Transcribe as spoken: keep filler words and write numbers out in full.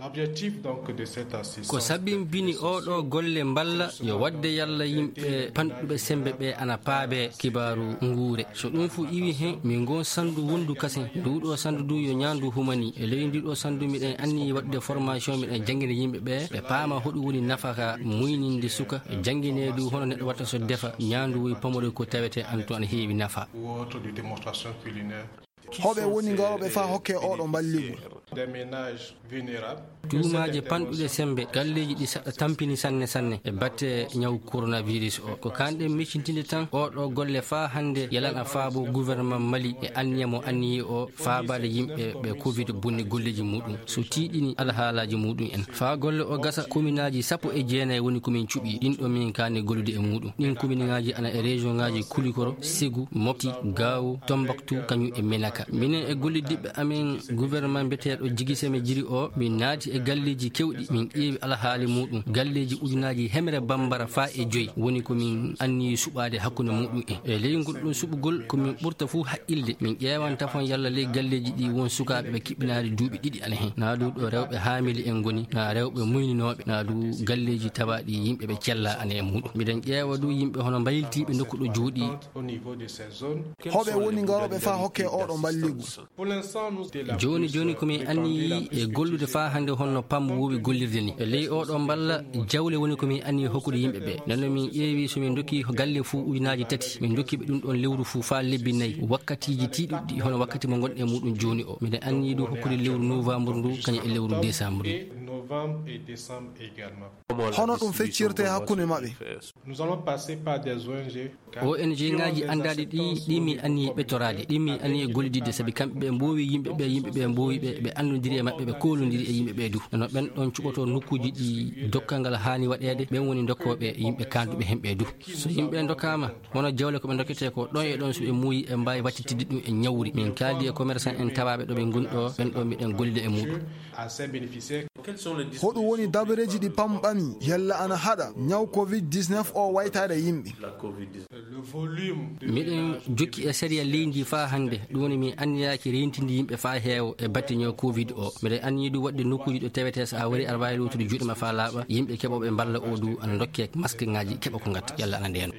L'objectif donc de cette assistance. Ko sabbin bini oɗo golle mballa yo wadde yalla yimɓe panɗuɓe sembe ɓe ana paabe kibaaru nguure. So ɗum fu iwi hen, min ngon sandu wondu kasen. Nduɗo sandu du yo nyandu humani. E ley ndiɗo sandu miɗen anni wadde formation, miɗen jangina yimɓe ɓe, ɓe paama hoɗum woni nafaka muyninde suka, jangine du hono neɗɗo watta so defa nyandu woy pamode ko tawete an to ana heewi nafa. Ou autre de démonstration culinaire. Hoɓe woni ngarooɓe faa hokke oɗo mballigol? Des ménages vulnérables. Tuumaaje panɗuɗe sembe, galleeji ɗi saɗa tampini sanne sanne e batte ñaw coronavirus o. Ko kanɗen miccintinde tan oɗo golle faa hannde yalana faabo gouvernement Mali e anniya mo anniyi o faabaade yimɓe ɓe covid bonni golleeji muɗum. So tiiɗini alhaalaaji muɗum en. Faa golle o gasa, kominaaji sappo e jeenayi woni ko min cuɓi. Ɗin ɗo min kaani gollude e muɗum. Ɗin kominaaji ana e région ŋaaji Kulikoro, Segu, Mopti, Gaawo, Tombaktu, kañum e Menaka. Minen e golliddiɓɓe amen gouvernement mbiyeteeɗo Jigiseme Jiri o, min naati e galleeji kewɗi, min ƴeewi alhaali muɗum. Galleeji ujunaaji hemre bambara faa e joyi woni ko min anniyi suɓaade hakkunde muɗum en. E ley ngol ɗum suɓugol, ko min ɓurta fuu haqqilde. Min ƴeewan tafon yalla ley galleeji ɗi won sukaaɓe ɓe kiɓɓinaade duuɓi ɗiɗi ana hen. Naa du ɗo rewɓe haamili en ngoni, naa rewɓe muyninooɓe, naa du galleeji tawaaɗi yimɓe ɓe cella ana e muɗum. Miɗen ƴeewa du yimɓe hono mbaylitiiɓe nokku ɗo jooɗi. Au niveau de ces zones. Hoɓe woni ngarooɓe faa hokke oɗo mballigu? Jooni jooni ko min anniyi e gollude faa hannde honno pam woowi gollirde ni. E ley oɗo mballa jawle woni ko min anniyi hokkude yimɓe ɓe. Nden no min ƴeewi so min ndokki galle fuu ujunaaji tati, min ndokki ɓe ɗum ɗon lewru fuu faa lebbi nayi. Wakkatiiji tiiɗuɗi hono wakkati mo ngonɗen e muɗum jooni o. Miɗen anniyi du hokkude lewru novembre ndu kañum e lewru décembre ndu. Novembre et décembre également. Hono ɗum feccirte hakkunde maɓɓe? Nous allons passer par des O N G. O N G ŋaaji anndaaɗi ɗi, ɗi mi anniyi ɓettoraade, ɗi mi anniyi gollididde, sabi kamɓe ɓe mboowi yimɓe ɓe, yimɓe ɓe mboowi ɓe, ɓe anndondiri e maɓɓe, ɓe koolondiri e yimɓe ɓe du. No ɓen ɗon cuɓotoo nokkuuji ɗi dokkal ngal haani waɗeede, ɓen woni dokkooɓe yimɓe kaanduɓe heen ɓe du. So yimɓe ndokkaama, hono jawle ko ɓe ndokketee ko, ɗon e ɗon so ɓe muuyi, ɓe mbaawi wattitidde ɗum e ñawri. Min kaaldi e commerçant en tawaaɓe ɗo ɓe ngoni ɗo, ɓen ɗo miɗen gollida e muɗum. Hoɗum woni dabareeji ɗi pam ɓami yalla ana haɗa ñaw covid dix-neuf o waytaade yimɓe? Miɗen jokki e sariya leydi faa hannde, ɗum woni min anniyaaki reentinde yimɓe faa heewa e batte ñaw covid o. Miɗen anniyi du waɗde nokkuuji ɗo tawetee so a wari aɗa waawi lootude juuɗe ma faa laaɓa, yimɓe keɓooɓe mballa o du ana ndokkee maskeŋaaji keɓa ko ngatta yalla ana ndeeno.